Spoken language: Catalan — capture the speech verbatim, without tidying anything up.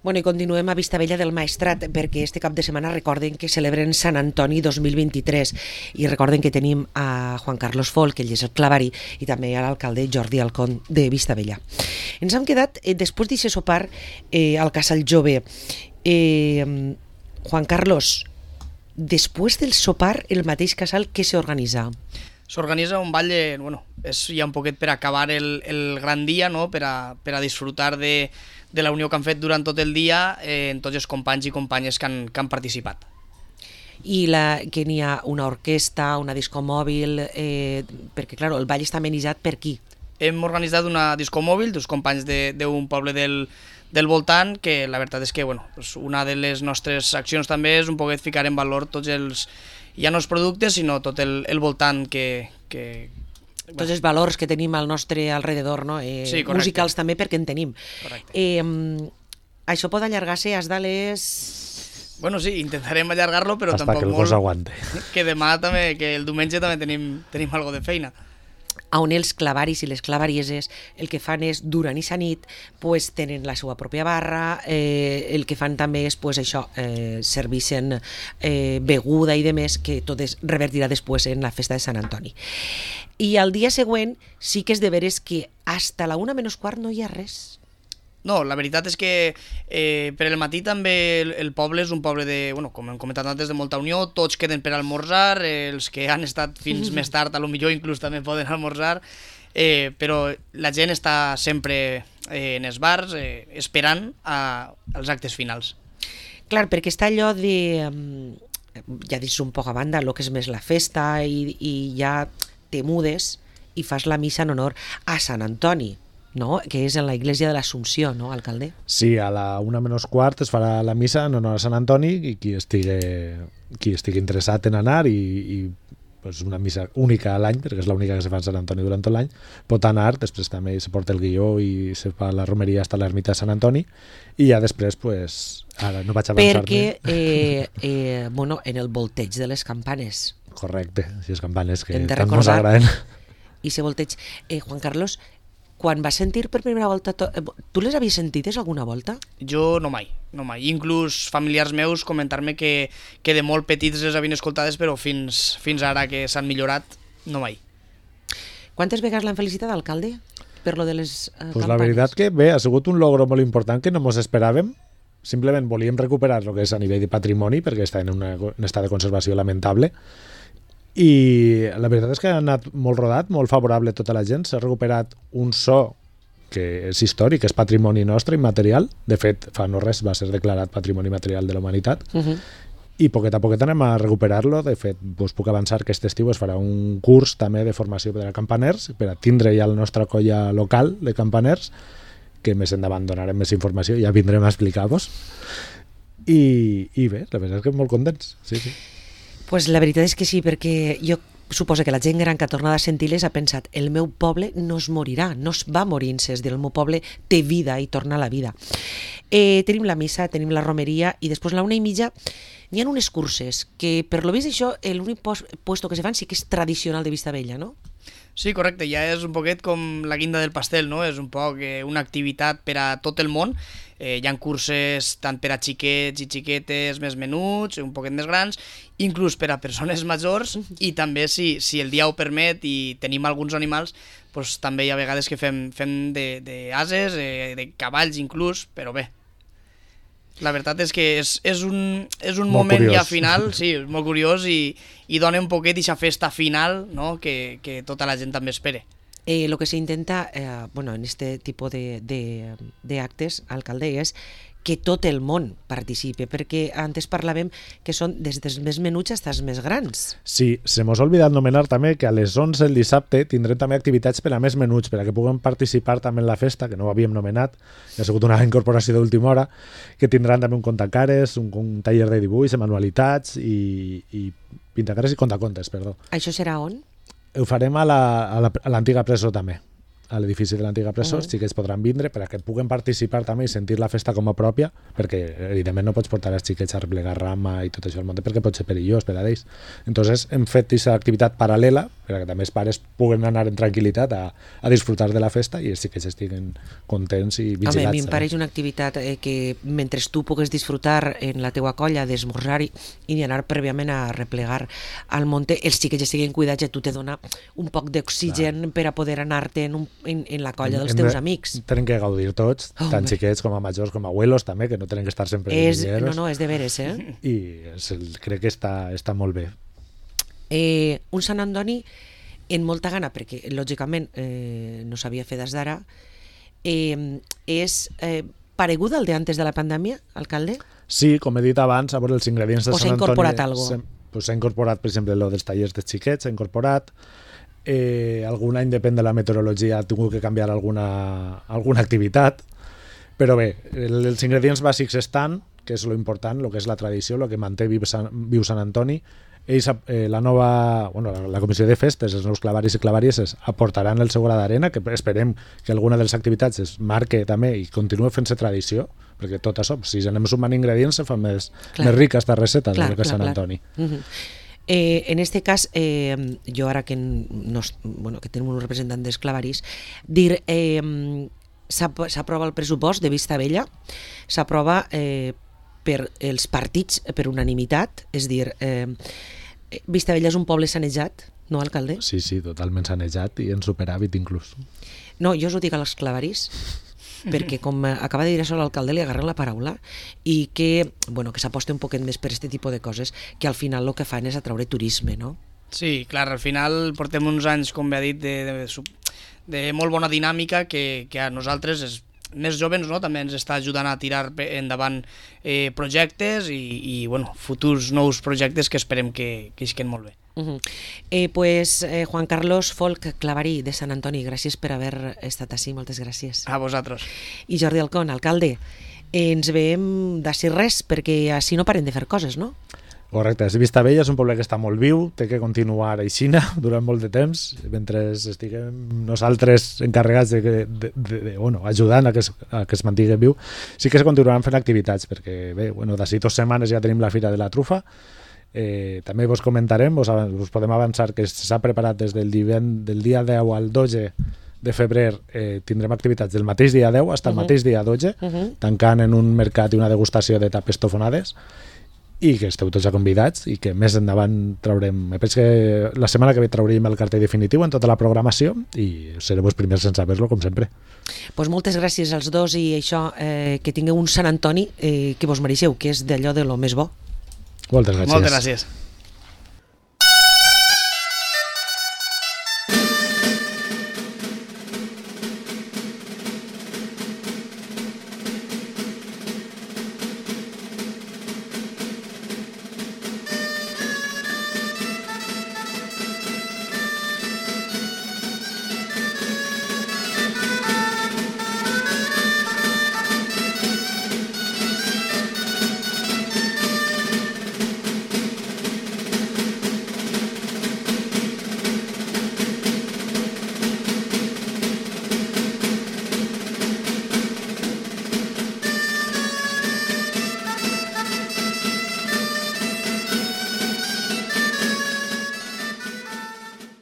Bueno, i continuem a Vistabella del Maestrat, perquè este cap de setmana recorden que celebren Sant Antoni dos mil vint-i-tres i recorden que tenim a Juan Carlos Folk, que ell és el clavari, i també a l'alcalde Jordi Alcón de Vistabella. Ens hem quedat, eh, després d'aquest sopar, eh, al Casal Jove. Eh, Juan Carlos, després del sopar, el mateix casal, què s'organitza? S'organitza un ball de, bueno, és ja un poquet per acabar el, el gran dia, no? per, a, per a disfrutar de, de la unió que han fet durant tot el dia eh, en tots els companys i companyes que han, que han participat. I la, que n'hi ha una orquestra, una disco mòbil, eh, perquè clar, el ball està amenitzat per qui? Hem organitzat una disco mòbil dels companys d'un poble del, del voltant, que la veritat és que bueno, pues una de les nostres accions també és un poquet ficar en valor tots els, ja no els productes, sinó tot el, el voltant que... que tots els valors que tenim al nostre alrededor, no? Eh, sí, musicals també, perquè en tenim. Eh, això pot allargar-se fins a les... Bueno, sí, intentarem allargar-lo, però hasta tampoc que el molt. cos aguante. Que demà també, que el diumenge també tenim, tenim algo de feina. On els clavaris i les clavarieses el que fan és, durant aquesta nit, pues, tenen la seva pròpia barra, eh, el que fan també és pues, això, eh, servicen eh, beguda i demés, que tot es revertirà després en la festa de Sant Antoni. I al dia següent sí que és de veres que hasta la una menys quart no hi ha res. No, la veritat és que eh, per el matí també el, el poble és un poble de, bueno, com hem comentat antes, de molta unió, tots queden per almorzar, eh, els que han estat fins més tard, a lo millor inclús també poden almorzar, eh, però la gent està sempre eh, en els bars eh, esperant a, als actes finals. Clar, perquè està allò de, ja dius un poc a banda, el que és més la festa i, i ja te mudes i fas la missa en honor a Sant Antoni, no? Que és en la Iglesia de l'Assumpció, no, alcalde? Sí, a la una menys quart es farà la missa en honor a Sant Antoni i qui estigui, qui estigui interessat en anar i, i pues una missa única a l'any, perquè és l'única que se fa a Sant Antoni durant tot l'any, pot anar, després també se porta el guió i se fa la romeria hasta l'ermita de Sant Antoni i ja després, pues, ara no vaig avançar-me. Perquè, eh, eh, bueno, en el volteig de les campanes. Correcte, si és campanes que tant mos agraden. I se volteig. Eh, Juan Carlos, quan vas sentir per primera volta... To... Tu les havies sentides alguna volta? Jo no mai, no mai. Inclús familiars meus comentar-me que, que de molt petits les havien escoltades, però fins, fins ara que s'han millorat, no mai. Quantes vegades l'han felicitat, alcalde, per lo de les eh, pues campanes? La veritat que bé, ha sigut un logro molt important que no mos esperàvem. Simplement volíem recuperar el que és a nivell de patrimoni, perquè està en una, un estat de conservació lamentable, i la veritat és que ha anat molt rodat, molt favorable a tota la gent. S'ha recuperat un so que és històric, és patrimoni nostre, immaterial. De fet, fa no res va ser declarat patrimoni material de la humanitat. Uh-huh. I poquet a poquet anem a recuperar-lo. De fet, us puc avançar que aquest estiu es farà un curs també de formació per a campaners, per a tindre ja la nostra colla local de campaners, que més endavant donarem més informació i ja vindrem a explicar-vos. I, I bé, la veritat és que molt contents. Sí, sí. Pues la veritat és que sí, perquè jo suposo que la gent gran que ha tornat a sentir-les ha pensat el meu poble no es morirà, no es va morint-se, és dir, el meu poble té vida i torna a la vida. Eh, tenim la missa, tenim la romeria i després a la una i mitja n'hi ha unes curses que per lo vist això l'únic puesto que se fan sí que és tradicional de Vistabella, no? Sí, correcte, ja és un poquet com la guinda del pastel, no? És un poc eh, una activitat per a tot el món. Eh, hi ha curses tant per a xiquets i xiquetes més menuts, un poquet més grans, inclús per a persones majors, i també si, si el dia ho permet i tenim alguns animals, doncs també hi ha vegades que fem, fem d'ases, eh, de cavalls inclús, però bé. La veritat és que és, és un, és un moment curiós. Ja final, sí, és molt curiós i, i dona un poquet aquesta festa final, no? que, que tota la gent també espera. Eh, lo que se intenta, eh, bueno, en este tipo de, de, de actes, alcalde, és que tot el món participe, perquè antes parlàvem que són des dels més menuts fins als més grans. Sí, se mos ha oblidat nomenar també que a les onze el dissabte tindrem també activitats per a més menuts, per a que puguem participar també en la festa, que no ho havíem nomenat, ha sigut una incorporació d'última hora, que tindran també un contacares, un, un taller de dibuix, de manualitats i, i pintacares i contacontes, perdó. Això serà on? Ho farem a l'antiga la, presó també, a l'edifici de l'antiga presó, Uh-huh. els xiquets podran vindre per a que puguen participar també i sentir la festa com a pròpia, perquè evidentment no pots portar els xiquets a replegar rama i tot això al muntat perquè pot ser perillós per a ells. Entonces hem fet aquesta activitat paral·lela per a que també els pares puguen anar en tranquil·litat a, a disfrutar de la festa i els xiquets estiguen contents i vigilats. Home, a mi em pareix una activitat eh, que mentre tu pugues disfrutar en la teua colla d'esmorzar i, i anar prèviament a replegar al monte, els xiquets estiguen cuidats i tu te dona un poc d'oxigen per a poder anar-te en, un, en, en la colla dels Hem teus de- amics. Tenen que gaudir tots, Home. tant xiquets com a majors com a abuelos també, que no tenen que estar sempre És, de no, villeros, no, és de veres, eh? i és el, crec que està, està molt bé. eh un Sant Antoni en molta gana, perquè lògicament eh, no s'havia fet des d'ara, eh, és eh, pareguda al de antes de la pandèmia, alcalde? Sí, com he dit abans, a veure els ingredients de O s'ha Sant Antoni... incorporat algo? s'ha- Pues s'ha incorporat, per exemple, lo dels tallers de xiquets, s'ha incorporat. Eh, algun any, depèn de la meteorologia, ha tingut que canviar alguna, alguna activitat. Però bé, el, els ingredients bàsics estan, que és lo important, lo que és la tradició, lo que manté viu Sant, viu Sant Antoni. Ells, eh, la nova, bueno, la, la comissió de festes, els nous clavaris i clavarieses aportaran el seu gra d'arena, que esperem que alguna de les activitats es marque també i continue fent-se tradició, perquè tot això, si anem sumant ingredients, se fa més, Clar. més rica esta receta Clar, de lo que és clar, Sant clar. Antoni. Uh-huh. Eh, en este cas, eh, jo ara que, nos, bueno, que tenim un representant dels clavaris, dir, eh, s'ap- s'aprova el pressupost de Vista Vella, s'aprova eh, per els partits per unanimitat, és dir, eh, Vista Vella és un poble sanejat, no, alcalde? Sí, sí, totalment sanejat i en superàvit inclús. No, jo us ho dic als clavaris, perquè com acaba de dir això l'alcalde li agarren la paraula i que, bueno, que s'aposta un poquet més per aquest tipus de coses que al final el que fan és atraure turisme, no? Sí, clar, al final portem uns anys, com bé ha dit, de, de, sub- de molt bona dinàmica que, que a nosaltres, els més joves, no, també ens està ajudant a tirar pe- endavant eh, projectes i, i bueno, futurs nous projectes que esperem que, que isquen molt bé. Uh-huh. eh, pues eh, Juan Carlos Folk, clavarí de Sant Antoni, gràcies per haver estat així, moltes gràcies. A vosaltres. I Jordi Alcón, alcalde, eh, ens veiem d'ací res, perquè així no paren de fer coses, no? Correcte, és Vista Vella, és un poble que està molt viu, té que continuar aixina durant molt de temps, mentre estiguem nosaltres encarregats de, que- de, de, de bueno, ajudant a que, es, a que es mantingui viu. Sí que es continuaran fent activitats, perquè bé, bueno, d'ací dues setmanes ja tenim la Fira de la Trufa. Eh, també vos comentarem, vos, avan- vos podem avançar que s'ha preparat des del, diven, del dia deu al dotze de febrer, eh, tindrem activitats del mateix dia deu fins al Mhm. mateix dia dotze, Uh-huh. tancant en un mercat i una degustació de tapes tofonades, i que esteu tots ja convidats i que més endavant traurem, me penso que la setmana que ve traurem el cartell definitiu en tota la programació i serem els primers en saber-lo, com sempre. Pues moltes gràcies als dos i això, eh, que tingueu un Sant Antoni eh, que vos mereixeu, que és d'allò de lo més bo. Moltes gràcies. Moltes gràcies.